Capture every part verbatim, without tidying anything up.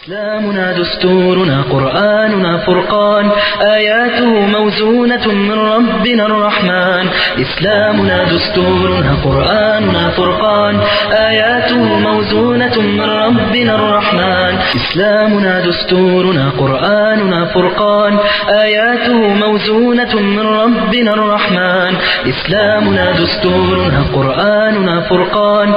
إسلامنا دستورنا قرآننا فرقان آياته موزونة من ربنا الرحمن إسلامنا دستورنا قرآننا فرقان آياته موزونة من ربنا الرحمن إسلامنا دستورنا قرآننا فرقان آياته موزونة من ربنا الرحمن إسلامنا دستورنا قرآننا فرقان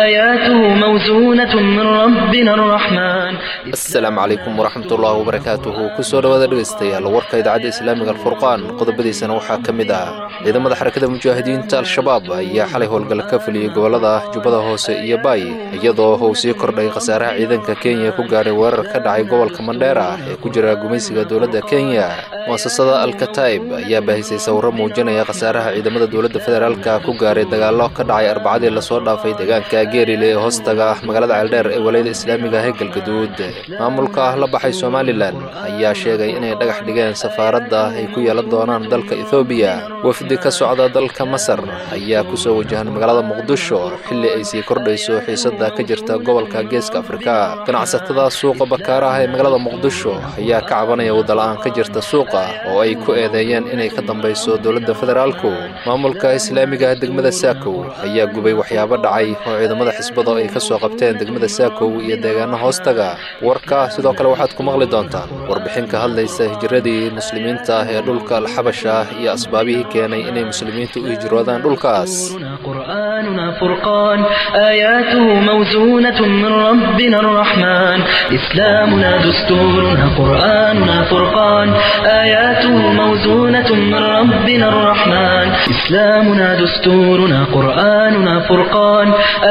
آياته موزونة من ربنا الرحمن. Asalaamu calaykum waraxmatullaahi wabarakaatuhu. Kusoo dhawaada dhegeystayaal warka idaacadda islaamiga Alfurqaan, qodobadiisana waxaa ka mid ah ciidamada xarakada mujaahidiinta Al-Shabaab ayaa xalay howlgal ka fuliyey gobollada Jubbada Hoose iyo Baay, iyadoo uu sii kordhay khasaaraha ciidanka Kenya ku gaaray weerar ka dhacay gobolka Mandheera ee ku jira gumaysiga dowladda Kenya. Muasasada Alkataib ayaa baahisay sawirro muujinaya khasaaraha ciidamada dowladda federaalka ku gaaray dagaallo ka dhacay arbacadii lasoo dhaafay deegaanka Geerile ee hoostaga magaalada Ceeldheer ee walayada islaamiga ah ee Galgaduud. Maamulka la baxay Somalilan ayaa sheegay inay dhagax dhigeen safaaradda ay ku yeelan doonaan dalka Ethoobiya. Wafdi ka socda dalka Masar ayaa kusoo wajahan magaalada Muqdisho xilli ay sii kordhayso xiisadda ka jirta gobolka Geeska Afrika. Ganacsatada suuqa Bakaaraha ee magaalada Muqdisho ayaa ka cabanaya wadala-aan ka jirta suuqa oo ay ku eedeeyeen inay ka dambayso dowladda federaalku. Maamulka islaamiga degmada Saakow ayaa gubay waxyaabo dhacay oo ciidamada xisbada ay ka soo qabteen degmada Saakow iyo deegaano hoostaga. Warka sidoo kale waxaad ku maqli doontaan warbixin ka hadlaysa hijiradii muslimiinta ee dhulka Alxabasha iyo asbaabihii keenay inay muslimiintu u hijroodaan dhulkaas. قرآننا فرقان آياته موزونة من ربنا الرحمن إسلامنا دستورنا قرآننا فرقان آياته موزونة من ربنا الرحمن إسلامنا دستورنا قرآننا فرقان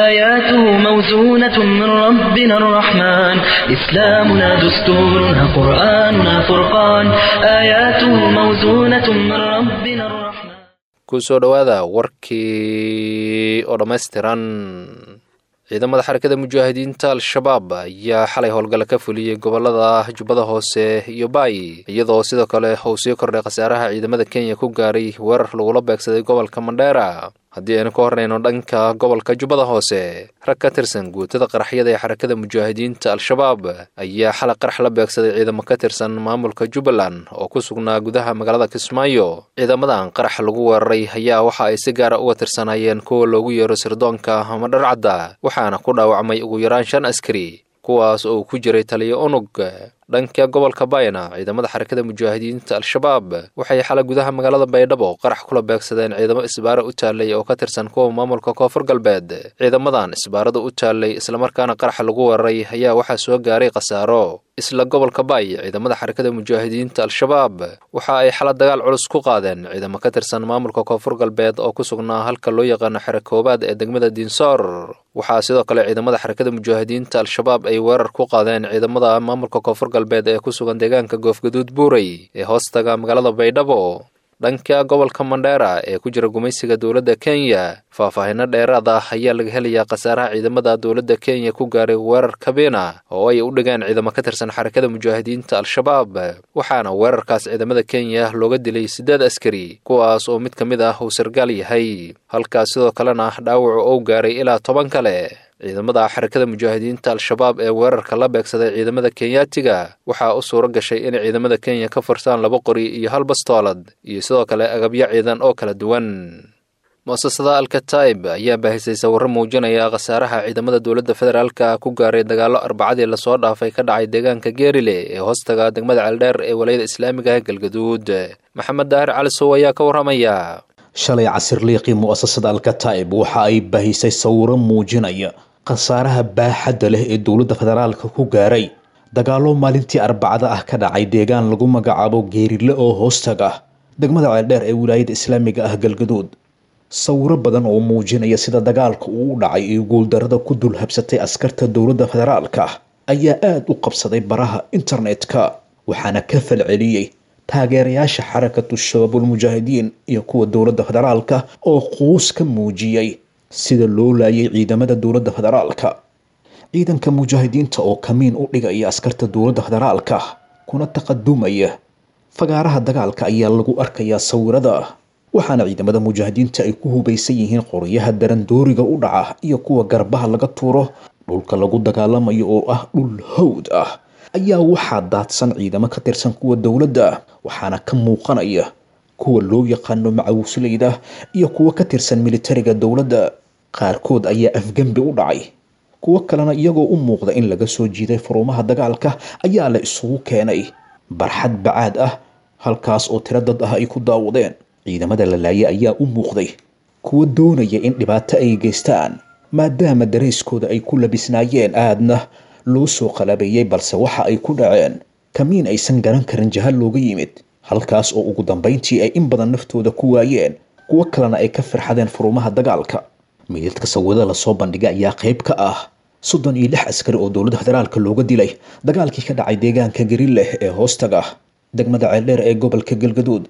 آياته موزونة من ربنا الرحمن إسلامنا دستورنا قرآننا فرقان آياته موزونة من ربنا الرحمن. Kusoo dhawaada warkii oo dhammaystiran. Ciidamada xarakada mujaahidiinta Al-Shabaab ayaa xalay howlgala ka fuliyey gobolada Jubbada Hoose iyo Baay, iyadoo sidoo kale uu sii kordhay khasaaraha ciidamada Kenya ku gaaray weerar lagula beegsaday gobolka Mandheera. Haddii aynu ka hornayno dhanka gobolka Jubbada Hoose, rag ka tirsan guutada qaraxyada ee xarakada mujaahidiinta Al-Shabaab ayaa xalay qarax la beegsaday ciidamo ka tirsan maamulka Jubbaland oo ku sugnaa gudaha magaalada Kismaayo. Ciidamadan qarax lagu weeraray ayaa waxa ay si gaara uga tirsanaayeen kuwa loogu yeero sirdoonka ama dharcadda, waxaana ku dhaawacmay ugu yaraan shan askari, kuwaas oo ku jiray taliyo unug. Dhanka gobolka Bayna, ciidamada xarakada mujaahidiinta Al-Shabaab waxay xalay gudaha magaalada Baydhabo qarax kula beegsadeen ciidamo isbaara u taalay oo ka tirsan kuwa maamulka Koonfur Galbeed. Ciidamadan isbaarada u taalay islamarkaana qaraxa lagu weeraray ayaa waxaa soo gaaray khasaaro. Isla gobolka Baay, ciidamada xarakada mujaahidiinta Al-Shabaab waxa ay xalay dagaal culus ku qaadeen ciidamo ka tirsan maamulka Koonfur Galbeed oo ku sugnaa halka loo yaqaano xero koobaad ee degmada Diinsoor. Waxaa sidoo kale ciidamada xarakada mujaahidiinta Al-Shabaab ay weerar ku qaadeen ciidamada maamulka Koonfur Galbeed ee ku sugan deegaanka Goofgaduud Buuray ee hoostaga magaalada Baydhabo. Dhanka gobolka Mandheera ee ku jira gumaysiga dowladda Kenya, faahfaahinno dheeraad ah ayaa laga helayaa khasaaraha ciidamada dowladda Kenya ku gaaray weerar kabiina oo ay u dhigeen ciidamo ka tirsan xarakada mujaahidiinta Al-Shabaab, waxaana weerarkaas ciidamada Kenya looga dilay siddeed askari, kuwaas oo mid ka mid ah uu sargaal yahay, halkaas sidoo kalena dhaawacu uu gaaray ilaa toban kale. Ciidamada xarakada mujaahidiinta Al-Shabaab ee weerarka la beegsaday ciidamada Kenyaatiga waxaa u suuro gashay inay ciidamada Kenya ka fursaan laba qori iyo hal bastoolad iyo sidoo kale agabyo ciidan oo kala duwan. Muasasada Alkataib ayaa baahisay sawirro muujinaya khasaaraha ciidamada dowladda federaalka ku gaaray dagaallo arbacadii lasoo dhaafay ka dhacay deegaanka Geerile ee hoostaga degmada Ceeldheer ee walayada islaamiga ah Galgaduud. Maxamed Daahir Cali Sow ayaa ka warramaya. Shalay casirliiqii mu'asasada Alkataib waxa ay baahisay sawiro muujinaya khasaaraha baaxadda leh ee dowladda federaalka ku gaaray dagaallo maalintii arbacada ah ka dhacay deegaan lagu magacaabo Geerile oo hoostaga degmada Ceeldheer ee wilaayada islaamiga ah Galgaduud. Sawiro badan oo muujinaya sida dagaalka uu u dhacay iyo guuldarada ku dul habsatay askarta dowladda federaalka ayaa aada u qabsaday baraha internetka, waxaana ka falceliyey taageerayaasha xarakatu shabaabul mujaahidiin iyo kuwa dowladda federaalka oo quus ka muujiyey sida loo laayay ciidamada dowladda federaalka. Ciidanka mujaahidiinta oo kamiin u dhigaya askarta dowladda federaalka kuna taqadumaya fagaaraha dagaalka ayaa lagu arkayaa sawirada, waxaana ciidamada mujaahidiinta ay ku hubaysan yihiin qoryaha darandooriga u dhaca iyo kuwa garbaha laga tuuro. Dhulka lagu dagaalamayo oo ah dhul hawd ah ayaa waxaa daadsan ciidamo ka tirsan kuwa dowladda, waxaana ka muuqanaya kuwa loo yaqaano macawisleyda iyo kuwa ka tirsan militariga dowladda. Qaarkood ayaa afgembi u dhacay, kuwo kalena iyagoo u muuqda in laga soo jiiday furumaha dagaalka ayaa la isugu keenay barxad bacaad ah, halkaas oo tiro dad ah ay ku daawadeen. Ciidamada la laayay ayaa u muuqday kuwa doonaya in dhibaato ay geystaan, maadaama dareyskooda ay ku labisnaayeen aadna loo soo qalabeeyey, balse waxa ay ku dhaceen kamiin aysan garan karin jaha looga yimid, halkaas oo ugu dambeyntii ay in badan naftooda ku waayeen, kuwo kalena ay ka firxadeen furumaha dagaalka. Meydadka sawirada lasoo bandhigay ayaa qayb ka ah soddon iyo lix askari oo dowladda federaalka looga dilay dagaalkii ka dhacay deegaanka Garileh ee hoostaga degmada Ceeldheer ee gobolka Galgaduud.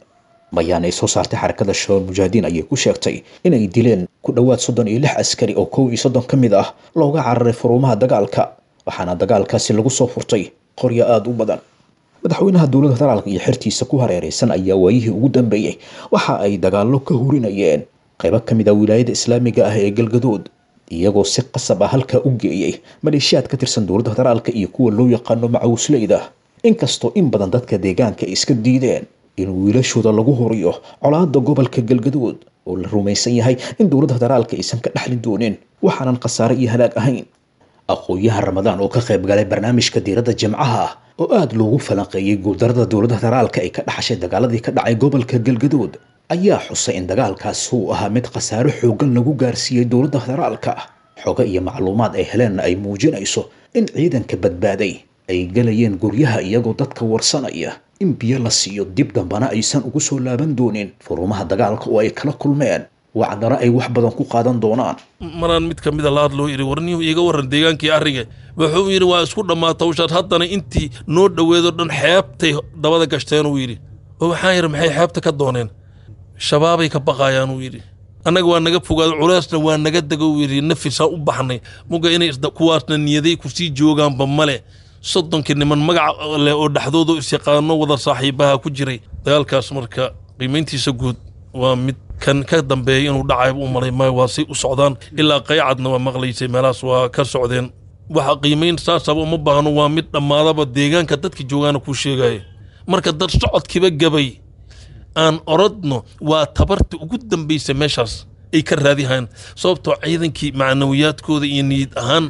Bayaan ay soo saartay Xarakada Shabaab Mujaahidiin ayay ku sheegtay inay dileen ku dhowaad soddon iyo lix askari oo kow iyo soddon ka mid ah looga cararay furumaha dagaalka, waxaana dagaalkaasi lagu soo furtay qoryo aada u badan. Madaxweynaha dowladda federaalka iyo xertiisa ku hareereysan ayaa waayihii ugu dambeeyey waxa ay dagaallo ka hurinayeen qaybo ka mid ah wilaayada islaamiga ah ee Galgaduud, iyagoo si qasab ah halkaa u geeyey maleeshiyaad ka tirsan dowladda federaalka iyo kuwa loo yaqaano macawisleyda, inkastoo in badan dadka deegaanka ay iska diideen in wiilashooda lagu horiyo colaadda gobolka Galgaduud oo la rumaysan yahay in dowladda federaalka aysan ka dhexli doonin waxaanan khasaare iyo halaag ahayn. Aqoon-yahan Ramadaan oo ka qayb galay barnaamijka Diiradda Jimcaha oo aada loogu falanqeeyey guuldarada dowladda federaalka ay ka dhaxashay dagaaladii ka dhacay gobolka Galgaduud ayaa xusay in dagaalkaasi uu ahaa mid khasaare xooggan lagu gaarsiiyey dowladda federaalka. Xogo iyo macluumaad ay heleenna ay muujinayso in ciidanka badbaaday ay galayeen guryaha iyagoo dadka warsanaya in biyo la siiyo, dib dambana aysan ugu soo laaban doonin furumaha dagaalka oo ay kala kulmeen wacdana ay wax badan ku qaadan doonaan. Maraan mid ka mida la hadloo yidhi, warniyuu iiga warran deegaankii arriga, wuxuu yidhi waa isku dhammaata hawshaas, haddana intii noo dhoweedo dhan xeebtay dabada gashteen uu yidhi. Oo waxaan yidhi maxay xeebta ka dooneen? Shabaabay ka baqaayaan uu yidhi. Annaga waa naga fogaado, culeysna waa naga dego uu yidhi, nafisaan u baxnay muga inay kuwaasna niyaday kusii joogaanba male. Soddonkii niman magaca leh oo dhexdooda isyaqaano wada saaxiibaha ku jiray dagaalkaas. Marka qiimayntiisa guud waa mid kan ka dambeeyay inuu dhacayba u malay maayo, waa say u socdaan ilaa qaycadna waa maqlaysay, meelahaas waa ka socdeen. Waxa qiimayn saasaba uma baahno, waa mid dhammaadaba deegaanka dadka joogaana kuu sheegaya. Marka dad socodkiiba gabay aan orodno waa tabarta ugu dambaysa meeshaas ay ka raadihayaan, sababtoo ciidankii macnawiyaadkooda iyo niyad ahaan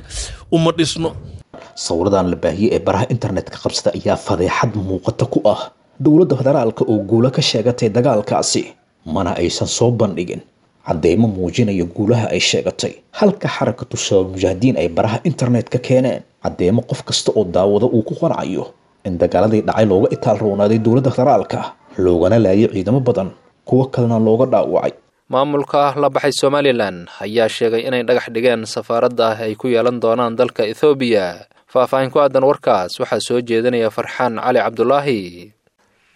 uma dhisno. Sawiradan la baahiyey ee baraha internetka qabsada ayaa fadeexad muuqata ku ah dowladda federaalka oo guulo ka sheegatay dagaalkaasi, mana aysan soo bandhigin cadeymo muujinaya guulaha ay sheegatay, halka Xarakatu Shabaab Mujaahidiin ay baraha internetka keeneen cadeymo qof kasta oo daawado uu ku qancayo in dagaaladii dhacay looga itaal roonaaday dowladda federaalka, loogana laayay ciidamo badan, kuwo kalena looga dhaawacay. Maamulka la baxay Somalilan ayaa sheegay inay dhagax dhigeen safaaradda ay ku yeelan doonaan dalka Ethoobiya. Faahfaahin ku aadan warkaas waxaa soo jeedinaya Farxaan Cali Cabdulaahi.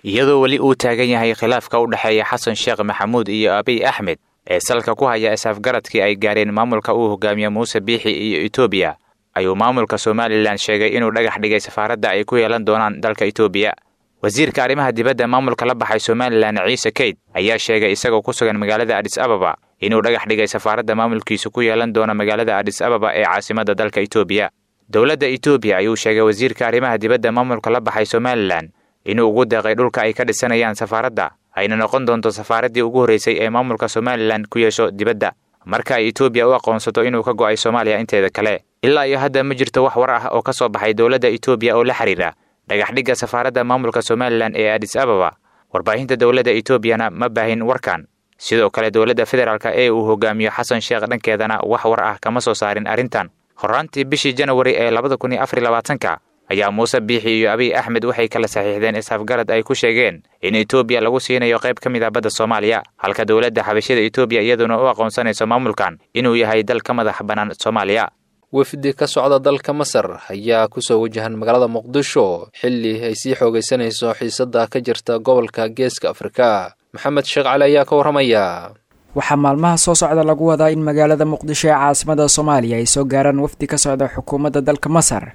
Iyadoo weli uu taagan yahay khilaafka u dhexeeya Xasan Sheekh Maxamuud iyo Abiy Axmed ee salka ku haya is-afgaradkii ay gaareen maamulka uu hogaamiye Muuse Biixi iyo Etoobiya, ayuu maamulka Somalilan sheegay inuu dhagax dhigay safaaradda ay ku yeelan doonaan dalka Etoobiya. Wasiirka arrimaha dibadda maamulka la baxay Somalilan Ciise Keyd ayaa sheegay isagoo ku sugan magaalada Adis Ababa inuu dhagax dhigay safaaradda maamulkiisu ku yeelan doono magaalada Adis Ababa ee caasimadda dalka Etoobiya. Dowladda Etoobiya ayuu sheegay wasiirka arrimaha dibadda maamulka la baxay Somalilan inuu ugu deeqay dhulka ay ka dhisanayaan safaaradda, ayna noqon doonto safaaraddii ugu horreysay ee maamulka Somalilan ku yeesho dibadda marka ay Etoobiya u aqoonsato inuu ka go'ay Soomaaliya inteeda kale. Ilaa iyo hadda ma jirto wax war ah oo ka soo baxay dowladda Etoobiya oo la xiriira dhagaxdhigga safaaradda maamulka Somalilan ee Adis Ababa. Warbaahinta dowladda Etoobiyana ma baahin warkan. Sidoo kale dowladda federaalka ee uu hogaamiyo Xasan Sheekh dhankeedana wax war ah kama soo saarin arrintan. Horraantii bishii Janawari ee labada kun iyo afar iyo labaatanka ayaa Muuse Biixi iyo Abiy Axmed waxay kala saxiixdeen is-afgarad ay ku sheegeen in Etoobiya lagu siinayo qayb ka mid ah badda Soomaaliya, halka dowladda xabashida Etoobiya iyaduna u aqoonsanayso maamulkan inuu yahay dal ka madax bannaan Soomaaliya. Wafdi ka socda dalka Masar ayaa kusoo wajahan magaalada Muqdisho xilli ay sii xoogaysanayso xiisadda ka jirta gobolka Geeska Afrika. Maxamed Sheekh Cali ayaa ka warramaya. Waxaa maalmaha soo socda lagu wadaa in magaalada Muqdisho ee caasimada Soomaaliya ay soo gaaraan wafdi ka socda xukuumadda dalka Masar,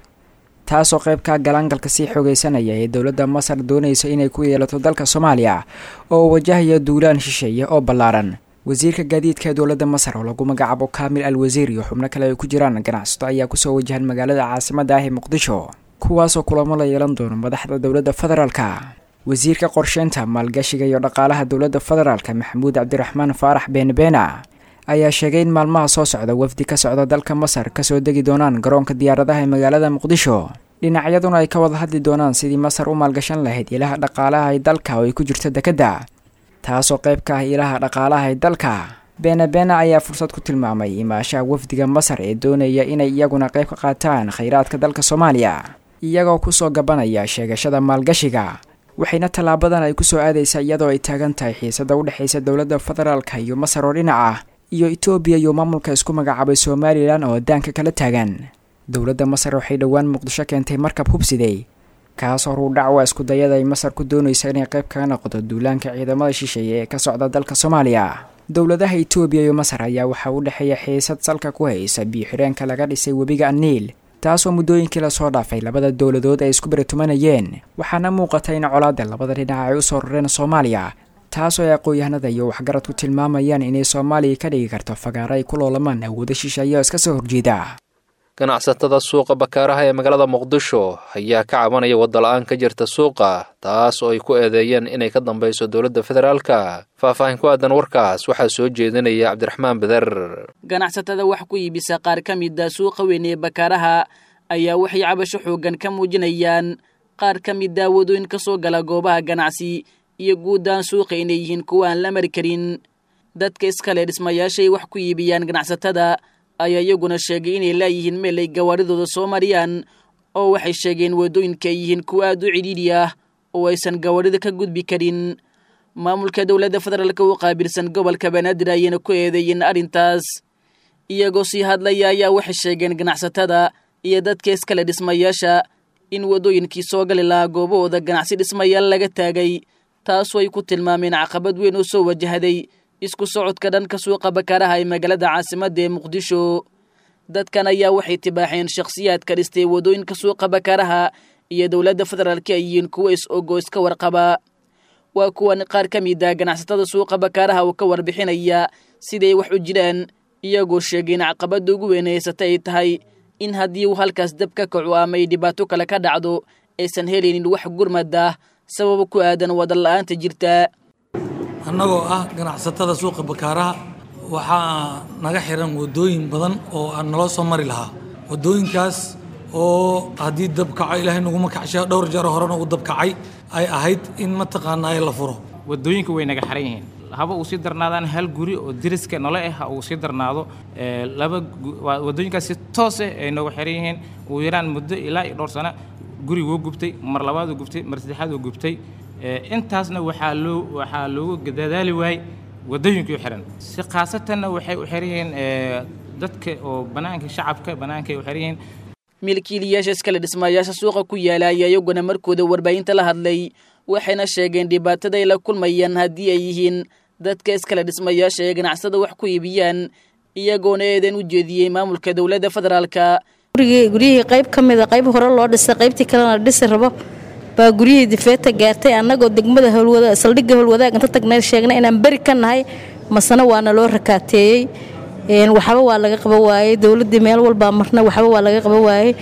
taasoo qayb ka galaangalka sii xoogaysanaya ee dowladda Masar doonaysa inay ku yeelato dalka Soomaaliya oo wajahaya duulaan shisheeye oo ballaaran. Wasiirka gaadiidka dowladda Masar oo lagu magacaabo Kaamil Al Wasiir iyo xubno kale ay ku jiraan ganacsato ayaa kusoo wajahan magaalada caasimadda ah ee Muqdisho. Kuwaasoo kulamo la yeelan doono madaxda dowladda federaalka. Wasiirka qorsheynta, maalgashiga iyo dhaqaalaha dowladda federaalka, Maxamuud Cabdiraxmaan Faarax Beenbeena, ayaa sheegay in maalmaha soo socda wafdi ka socda dalka Masar kasoo degi doonaan garoonka diyaaradaha ee magaalada Muqdisho, dhinacyaduna ay ka wada hadli doonaan sidii Masar u maalgashan lahayd ilaha dhaqaalaha ee dalka oo ay ku jirto dekedda, taasoo qayb ka ah ilaha dhaqaalaha ee dalka. Beenabeena ayaa fursad ku tilmaamay imaashaha wafdiga Masar ee doonaya inay iyaguna qayb ka qaataan khayraadka dalka Soomaaliya, iyagoo kusoo gabanaya sheegashada maalgashiga. Waxayna tallaabadan ay kusoo aadaysaa iyadoo ay taagan tahay xiisada u dhexaysa dowladda federaalka iyo Masar oo dhinac ah, iyo Itoobiya iyo maamulka isku magacaabay Somalilan oo daanka kala taagan. Dowladda Masar waxay dhowaan Muqdisho keentay markab hubsiday, kaas horuu dhacwa isku dayada ay Masar ku doonaysa inay qayb kaga noqoto duulaanka ciidamada shisheeye ee ka socda dalka Soomaaliya. Dowladaha Itoobiya iyo Masar ayaa waxaa u dhexeeya xiisad salka ku haysa biyo-xireenka laga dhisay webiga Aniil, taasoo muddooyinkii lasoo dhaafay labada dowladood ay isku beritumanayeen. Waxaana muuqata in colaadda labada dhinac ay usoo rareen Soomaaliya, taasoo ay aqoon-yahanada iyo waxgaradku tilmaamayaan inay Soomaaliya ka dhigi karto fagaaro ay ku loolamaan awoodo shisheeye oo iska soo horjeeda. Ganacsatada suuqa Bakaaraha ee magaalada Muqdisho ayaa ka cabanaya wadda-la-aan ka jirta suuqa, taas oo ay ku eedeeyeen inay ka dambeyso dowladda federaalka. Faahfaahin ku aadan warkaas waxaa soo jeedinaya Cabdiraxmaan Beder. Ganacsatada wax ku iibisa qaar ka mid a suuqa weyn ee Bakaaraha ayaa waxay cabasho xooggan ka muujinayaan qaar ka mid a wadooyin ka soo gala goobaha ganacsi iyo guuddaan suuqa inay yihiin kuwa aan la mari karin. Dadka iskale dhismayaashay wax ku iibiyaan ganacsatada ayaa iyaguna sheegay inay laayihiin meel ay gawaaridooda soo mariyaan, oo waxay sheegeen waddooyinka ay yihiin kuwa aad u cidhiidhi ah oo aysan gawaarida ka gudbi karin. Maamulka dowladda federaalka u qaabilsan gobolka Banaadir ayayna ku eedeeyeen arrintaas. Iyagoo sii hadlaya ayaa waxay sheegeen ganacsatada iyo dadka iskale dhismayaasha in waddooyinkii soo gali lahaa goobahooda ganacsi dhismayaal laga taagay, taasoo ay ku tilmaameen caqabad weyn oo soo wajahday isku socodka dhanka suuqa Bakaaraha ee magaalada caasimadda ee Muqdisho. Dadkan ayaa waxay tibaaxeen shakhsiyaadka dhistay waddooyinka suuqa Bakaaraha iyo dowladda federaalka ay yihiin kuwa is-ogo iska warqaba. Waa kuwan qaar ka mid ah ganacsatada suuqa Bakaaraha oo ka warbixinaya siday wax u jiraan, iyagoo sheegay in caqabadda ugu weyn haysata ay tahay in haddii uu halkaas dab ka kaco ama ay dhibaato kale ka dhacdo aysan helaynin wax gurmad ah sababo ku aadan wada la-aanta jirta. Annagoo ah ganacsatada suuqa Bakaaraha, waxaa naga xiran wadooyin badan oo aan naloo soo mari lahaa, wadooyinkaas oo haddii dab kaco, Ilaahay naguma kacsha, dhowr jeer horena uu dab kacay, ay ahayd in mataqaanaa la furo. Wadooyinka way naga xiran yihiin, haba uu sii darnaadaan hal guri oo deriska nole ah ha uu sii darnaado, laba wadooyinkaas si toos ah ay nooga xiran yihiin. Ugu yaraan muddo ilaa iyo dhowr sano guri wuu gubtay, mar labaad uu gubtay, mar saddexaad uu gubtay. Intaasna waxaa loo waxaa loogu dadaali waayey waddooyinkii xiran. Si khaasatanna waxay u xiran yihiin dadka oo bannaanka, shacabka bannaanka ay u xiran yihiin. Milkiilayaasha iskale dhismayaasha suuqa ku yaala ayaa iyaguna markooda warbaahinta la hadlay, waxayna sheegeen dhibaatada ay la kulmayaan haddii ay yihiin dadka iskale dhismayaasha ee ganacsada wax ku iibiyaan, iyagoona eedan u jeediyey maamulka dowladda federaalka. Guryihii qayb ka mida, qayb hore loo dhisay, qaybtii kalena la dhisi rabo, baa guryihii difeeta gaartay. Annagoo degmada howlwada, saldhigga Howlwadaag inta tagnay sheegnay inaan beri ka nahay, masana waana loo rakaateeyey, waxba waa laga qaba waayey. Dowladdii meel walbaa marna, waxba waa laga qaba waayey.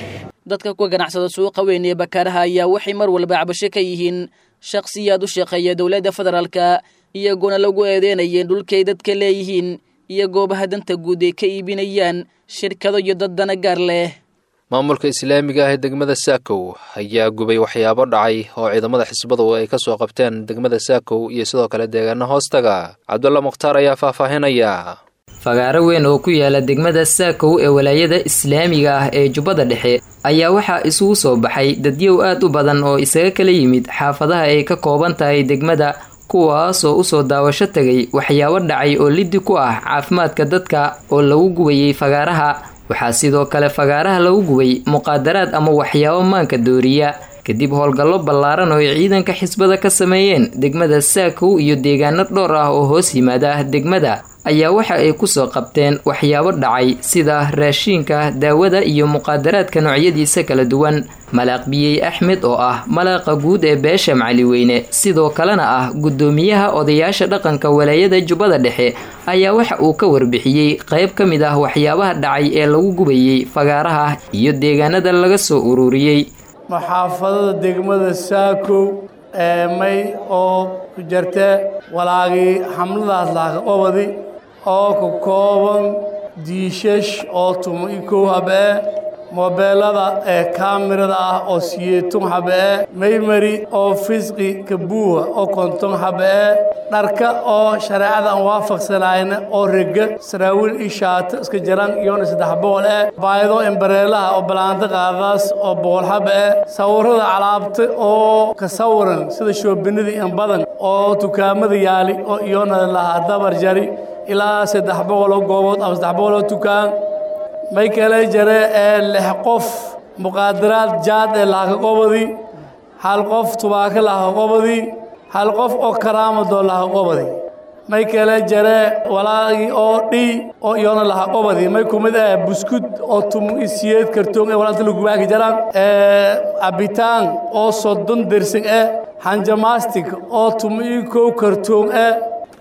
Dadka ku ganacsada suuqa weyn ee Bakaaraha ayaa waxay mar walba cabasho ka yihiin shakhsiyaad u shaqeeya dowladda federaalka, iyagoona lagu eedeynayeen dhulkay dadka leeyihiin iyo goobaha danta guud ay ka iibinayaan shirkado iyo dad dana gaar leh. Maamulka islaamiga ah ee degmada Saakow ayaa gubay waxyaabo dhacay oo ciidamada xisbadu ay ka soo qabteen degmada Saakow iyo sidoo kale deegaano hoostaga. Cabdulla Mukhtaar ayaa faahfaahinaya. Fagaaro weyn oo ku yaala degmada Saakow ee walaayada islaamiga ah ee Jubbada Dhexe ayaa waxaa isugu soo baxay dadyow aad u badan oo isaga kala yimid xaafadaha ay ka kooban tahay degmada, kuwaasoo usoo daawasho tegay waxyaabo dhacay oo liddi ku ah caafimaadka dadka oo lagu gubayay fagaaraha. Waxaa sidoo kale fagaaraha lagu gubay muqaadaraad ama waxyaabo maanka dooriya, kadib howlgallo ballaaran oo ay ciidanka xisbada ka sameeyeen degmada Saakow iyo deegaano dhowr ah oo hoos yimaada degmada, ayaa waxa ay kusoo qabteen waxyaabo dhacay sida raashiinka, daawada iyo muqaadaraadka noocyadiisa kala duwan. Malaaq Biyey Axmed oo ah malaaqa guud ee beesha Macaliweyne, sidoo kalena ah guddoomiyaha odayaasha dhaqanka walaayada Jubbada Dhexe, ayaa waxa uu ka warbixiyey qayb ka mid ah waxyaabaha dhacay ee lagu gubayey fagaaraha iyo deegaanada laga soo ururiyey. Muxaafadada degmada Saakow ee may oo ku jirta walaagii xamladaas laaka qobadi oo ka kooban diishash oo tumo iyo kow hab ee, moobeelada ee kaamirada ah oo siyeetun hab ee, maymari oo fisqi kabuuha oo konton hab ee, dharka oo shareecada aan waafaqsanayna oo rega saraawiil iyo shaato iska jaran iyona saddex boqol ee, baayado embareelaha oo balaanta qaadaas oo boqol hab ee, sawirada calaabta oo ka sawiran sida shoobinada in badan oo dukaamada yaali oo iyona lahaa dabar jari ilaa saddex boqol oo goobood ama saddex boqol oo dukaan. May kale jare ee lix qof muqaadaraad jaad ee laaka qobadi, hal qof tubaako laaka qobadi, hal qof oo karaamadoo laaka qobadi. May kale jare walaagii oo dhii oo iyona laha qobadi may kumid ah buskud oo tumo iyo siyeed kartoon ee walaanta lagu baaki jaraan, ee cabitaan oo soddon dersin eh, hanjamaastig oo tumo iyo kow kartoon eh,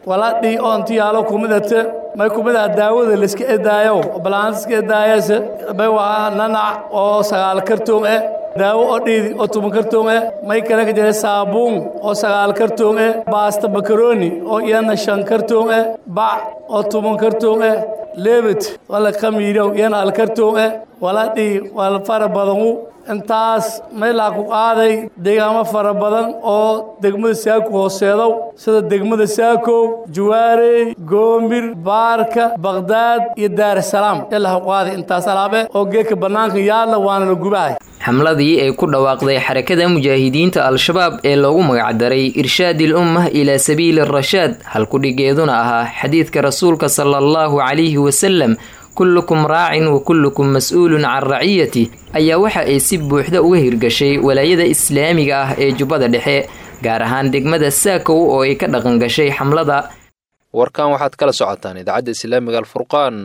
walaadhii oo inti yaalo kumid ate. May kumid ah daawada layska edaayo balaanta iska edaayase, may waa nanac oo sagaal kartoon eh, daawo oo dhiidi oo toban kartoon eh. May kale ka jira saabuun oo sagaal kartoon eh, baasta makaroni oo iyana shan kartoon eh, bac oo toban kartoon eh, leebit wala khamiirow iyana hal kartoon eh. Walaadhii waa fara badanu intaas may laa ku qaaday deegaamo fara badan oo degmada Saako hooseedow sida degmada Saakow, Juwaarey, Goomir, Baarka, Baqdaad iyo Daarasalaam ilaa ku qaaday intaas alaabe oo geedka bannaanka yaalla, waana la gubahay. Xamladii ay ku dhawaaqday Xarakada Mujaahidiinta Al-Shabaab ee loogu magacdaray Irshaadil Ummah ilaa Sabiili Rashaad, halkudhigeeduna ahaa xadiidka rasuulka sala allahu calayhi wasalam, kullukum raacin wa kullukum mas-uulun can raciyati, ayaa waxa ay si buuxda uga hirgashay walaayada islaamiga ah ee Jubbada Dhexe, gaar ahaan degmada Saakow oo ay ka dhaqan gashay xamlada. Warkan waxaad kala socotaan idaacadda islaamiga Alfurqaan.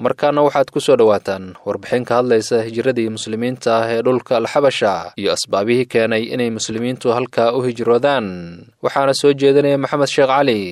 Markaana waxaad ku soo dhowaataan warbixin ka hadlaysa hijiradii muslimiinta ah ee dhulka Alxabasha iyo asbaabihii keenay inay muslimiintu halkaa u hijroodaan, waxaana soo jeedinaya Maxamed Sheekh Cali.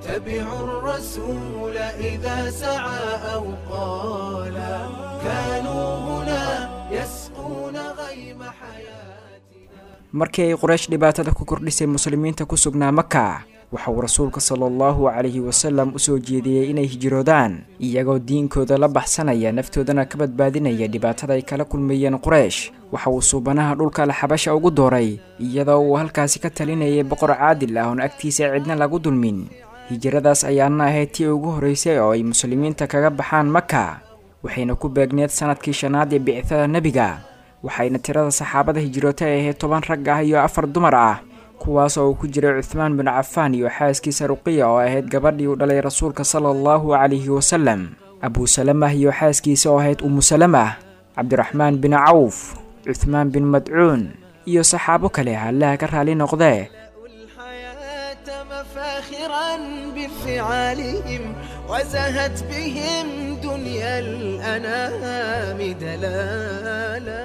تبعوا الرسول إذا سعى أو قالا كانوا هنا يسقون غيم حياتنا. Markii ay Quraysh dhibaatada ku kordhisay muslimiinta ku sugnaa Maka, waxa uu rasuulka sala allahu calayhi wasalam u soo jeediyey inay hijroodaan iyagoo diinkooda la baxsanaya, naftoodana ka badbaadinaya dhibaatada ay kala kulmayeen Quraysh. Waxa uu suubanaha dhulka Alxabasha ugu dooray iyadoo uu halkaasi ka talinayay boqor caadil ah oon agtiisa cidna lagu dulmin. Hijradaas ayaana ahayd tii ugu horreysay oo ay muslimiinta kaga baxaan Maka, waxayna ku beegneed sanadkii shanaad ee bicithada nebiga. Waxayna tirada saxaabada hijrootay ay ahayd toban rag ah iyo afar dumar ah, kuwaas oo uu ku jiray Cuthmaan bin Cafaan iyo xaaskiisa Ruqiya oo ahayd gabadhii uu dhalay rasuulka sala allahu calayhi wasalam, Abuu Salamah iyo xaaskiisa oo ahayd Umu Salamah, Cabdiraxmaan bin Cawf, Cuthmaan bin Madcuun iyo saxaabo kale, Allaha ka raali noqdee. مفاخرا بفعالهم وزهت بهم دنيا الأنام دلالا.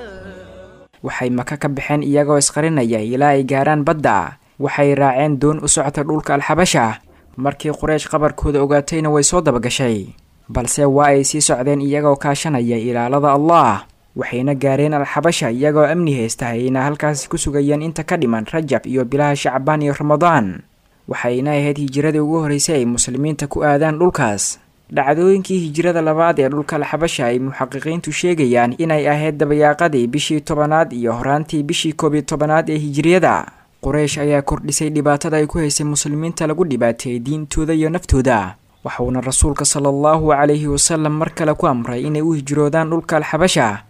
Waxay Maka ka baxeen iyagoo isqarinaya ilaa ay gaaraan badda. Waxay raaceen doon u socota dhulka Alxabasha. Markii Quraysh qabarkooda ogaatayna way soo dabagashay, balse waa ay sii socdeen iyagoo kaashanaya ilaalada Allah, waxayna gaareen Alxabasha iyagoo amni haysta, ayna halkaasi ku sugayeen inta ka dhiman Rajab iyo bilaha Shacbaan iyo Ramadaan. Waxayna ahayd hijiradii ugu horreysay ay muslimiinta ku aadaan dhulkaas. Dhacdooyinkii hijrada labaad ee dhulka Alxabasha ay muxaqiqiintu sheegayaan inay ahayd dabayaaqadii bishii tobanaad iyo horaantii bishii koob iyo tobanaad ee hijriyada. Quraysh ayaa kordhisay dhibaatada ay ku haysay muslimiinta lagu dhibaateeyey diintooda iyo naftooda, waxauna rasuulka sala allahu calayhi wasalam mar kale ku amray inay u hijroodaan dhulka Alxabasha.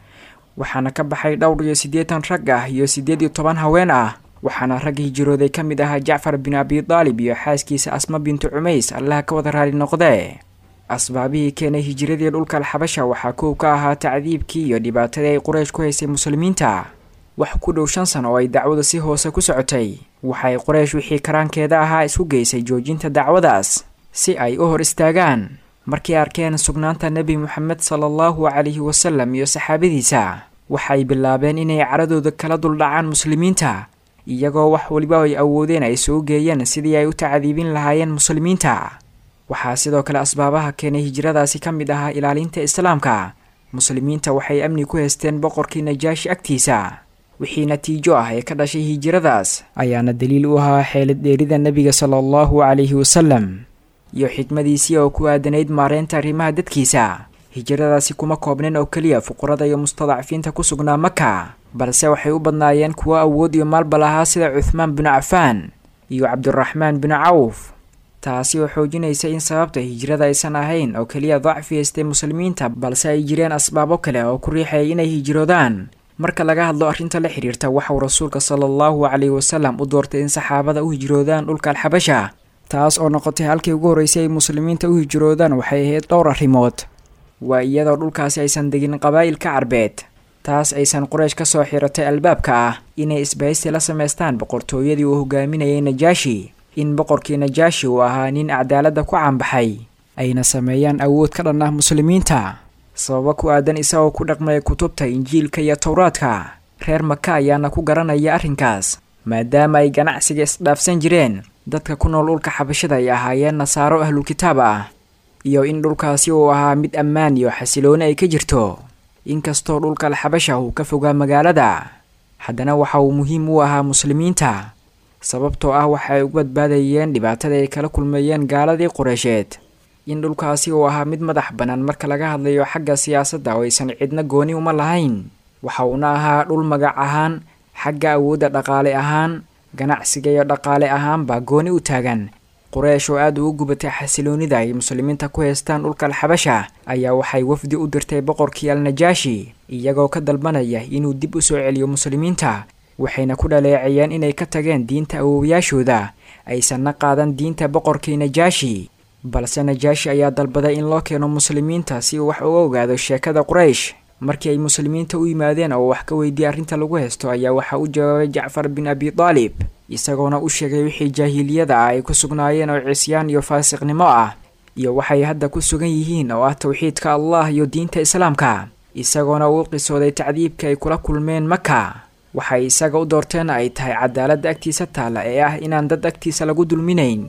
Waxaana ka baxay dhowr iyo siddeetan rag ah iyo siddeed iyo toban haween ah, waxaana rag hijrooday ka mid ahaa Jacfar bin Abi Daalib iyo xaaskiisa Asma bintu Cumays, Allaha ka wada raali noqdee. Asbaabihii keenay hijiradii dhulka Alxabasha waxaa kow ka ahaa tacdiibkii iyo dhibaatadii ay Quraysh ku haysay muslimiinta. Wax ku dhow shan sano oo ay dacwada si hoose ku socotay, waxay Quraysh wixii karaankeeda ahaa isku geysay joojinta dacwadaas si ay u hor istaagaan. Markii arkeen sugnaanta nebi Moxamed sala allahu calayhi wasalam iyo saxaabadiisa, waxay bilaabeen inay caradooda kala duldhacaan muslimiinta, iyagoo wax waliba ay awoodeen ay soo geeyeen sidii ay u tacdiibin lahaayeen muslimiinta. Waxaa sidoo kale asbaabaha keenay hijradaasi ka mid ahaa ilaalinta islaamka. Muslimiinta waxay amni ku haysteen boqorkii Najaashi agtiisa. Wixii natiijo ah ee ka dhashay hijradaas ayaana daliil u ahaa xeelad dheerida nabiga sala allahu calayhi wasalam iyo xikmadiisii oo ku aadanayd maareynta arrimaha dadkiisa. Hijradaasi kuma koobnayn oo keliya fuqarada iyo mustadacfiinta ku sugnaa Maka, balse waxay u badnaayeen kuwo awood iyo maalba lahaa sida Cuthmaan bin Cafaan iyo Cabdiraxmaan bin Cawf, taasi oo xoojinaysa in sababta hijrada aysan ahayn oo keliya dacfi haystay muslimiinta, balse ay jireen asbaabo kale oo ku riixayay inay hijroodaan. Marka laga hadlo arrinta la xiriirta, waxauu rasuulka sala allahu calayhi wasalam u doortay in saxaabada u hijroodaan dhulka Alxabasha, taas oo noqotay halkii ugu horreysay ay muslimiinta u hijroodaan. Waxay ahayd dhowr arrimood. Waa iyadoo dhulkaasi aysan degin qabaa'ilka Carbeed, taas aysan Quraysh ka soo xiratay albaabka ah inay isbahaysi la samaystaan boqortooyadii uu hogaaminayay Najaashi, in boqorkii Najaashi uu ahaa nin cadaaladda ku caanbaxay, ayna sameeyaan awood ka dhan ah muslimiinta. Sababo ku aadan isagoo ku dhaqmaya kutubta Injiilka iyo Towraadka, reer Maka ayaana ku garanaya arrinkaas, maadaama ay ganacsiga isdhaafsan jireen. Dadka ku nool dhulka Xabashada ay ahaayeen nasaaro ahlulkitaab ah, iyo in dhulkaasi uu ahaa mid ammaan iyo xasilooni ay ka jirto. Inkastoo dhulka Alxabasha uu ka fogaa magaalada, haddana waxa uu muhiim u ahaa muslimiinta, sababtoo ah waxa ay ugu badbaadayeen dhibaatada ay kala kulmayeen gaaladii Qureysheed. In dhulkaasi uu ahaa mid madax bannaan marka laga hadlayo xagga siyaasadda oo aysan cidna gooni uma lahayn, waxa uuna ahaa dhul magac ahaan, xagga awoodda dhaqaale ahaan, ganacsiga iyo dhaqaale ahaanba gooni u taagan. Quraysh oo aad ugu gubatay xasiloonida ay muslimiinta ku haystaan dhulka Alxabasha ayaa waxay wafdi u dirtay boqorkii Al-Najaashi, iyagoo ka dalbanaya inuu dib u soo celiyo muslimiinta. Waxayna ku dhaleeceeyeen inay ka tageen diinta awoowayaashooda, aysanna qaadan diinta boqorkii Najaashi. Balse Najaashi ayaa dalbaday in loo keeno muslimiinta si uu wax uga ogaado sheekada Quraysh. Markii ay muslimiinta u yimaadeen oo wax ka weydiiyay arrinta lagu haysto, ayaa waxaa u jawaabay Jacfar bin Abi Taalib, isagoona u sheegay wixii jaahiliyada ah ay ku sugnaayeen oo cisyaan iyo faasiqnimo ah, iyo waxay hadda ku sugan yihiin oo ah tawxiidka Allah iyo diinta islaamka, isagoona uu qisooday tacdiibka ay kula kulmeen Maka. Waxay isaga u doorteen ay tahay cadaaladda agtiisa taalla ee ah inaan dad agtiisa lagu dulminayn.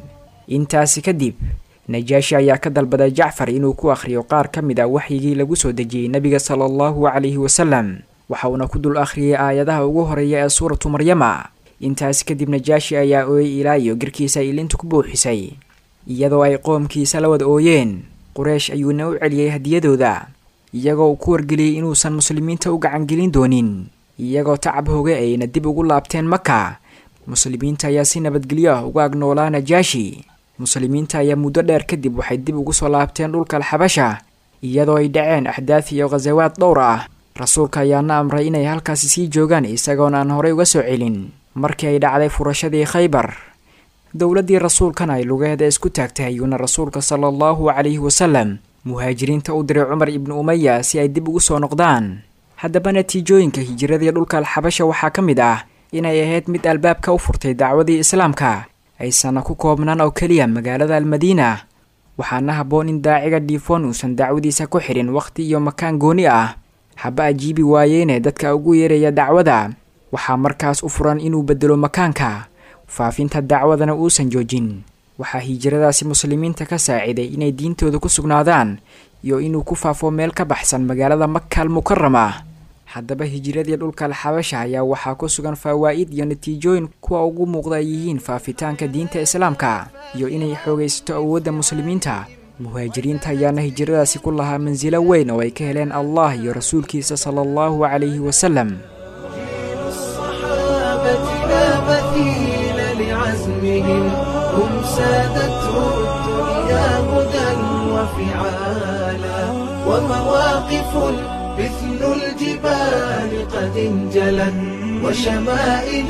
Intaasi kadib Najaashi ayaa ka dalbaday Jacfar inuu ku akhriyo qaar ka mid ah waxyigii lagu soo dejiyey nabiga sala allahu calayhi wasalam, waxa uuna ku dul akhriyay aayadaha ugu horeeya ee suuratu Maryama. Intaasi kadib Najaashi ayaa ooyay ilaa iyo girkiisa ay ilintu ku buuxisay, iyadoo ay qoomkiisa la wada ooyeen. Quraysh ayuuna u celiyey hadiyadooda, iyagoo uu ku wargeliyey inuusan muslimiinta u gacangelin doonin, iyagoo tacab hoge ayna dib ugu laabteen Maka. Muslimiinta ayaa si nabadgelyo ah uga agnoolaa Najaashi. Muslimiinta ayaa muddo dheer kadib waxay dib ugu soo laabteen dhulka Alxabasha, iyadoo ay dhaceen axdaaf iyo ghasawaad dhowr ah. Rasuulka ayaana amray inay halkaasi sii joogaan, isagoona aan horey uga soo celin. Markii ay dhacday furashadii Khaybar, dowladdii rasuulkana ay lugaheeda isku taagtay, ayuuna rasuulka sala allahu calayhi wasalam muhaajiriinta u diray Cumar ibnu Umaya si ay dib ugu soo noqdaan. Haddaba natiijooyinka hijiradii dhulka Alxabasha waxaa ka mid ah inay ahayd mid albaabka u furtay dacwadii islaamka, aysanna ku koobnaan oo keliya magaalada Almadiina. Waxaana habboon in daaciga dhiifoon uusan dacwadiisa ku xirin waqti iyo makaan gooni ah, haba ajiibi waayeene dadka ugu yeeraya dacwada. Waxaa markaas u furan inuu bedelo makaanka, faafinta dacwadana uusan joojin. Waxaa hijradaasi muslimiinta ka saaciday inay diintooda ku sugnaadaan iyo inuu ku faafo meel ka baxsan magaalada Maka al-Mukarama. Haddaba hijiradii dhulka Alxabasha ayaa waxaa ku sugan fawaa'id iyo natiijooyin kuwa ugu muuqda ay yihiin faafitaanka diinta islaamka iyo inay xoogaysato awoodda muslimiinta. Muhaajiriinta ayaana hijradaasi ku lahaa mansilo weyn oo ay ka heleen Allah iyo rasuulkiisa sala allahu calayhi wasalam. مثل الجبال قد انجلت وشمائل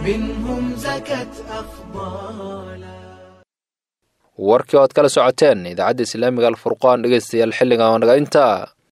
منهم زكت أفضالا. Warkii oad kala socoteen idaacadda Islaamiga Alfurqaan dhegeystayaal xilligan oo naga intaa.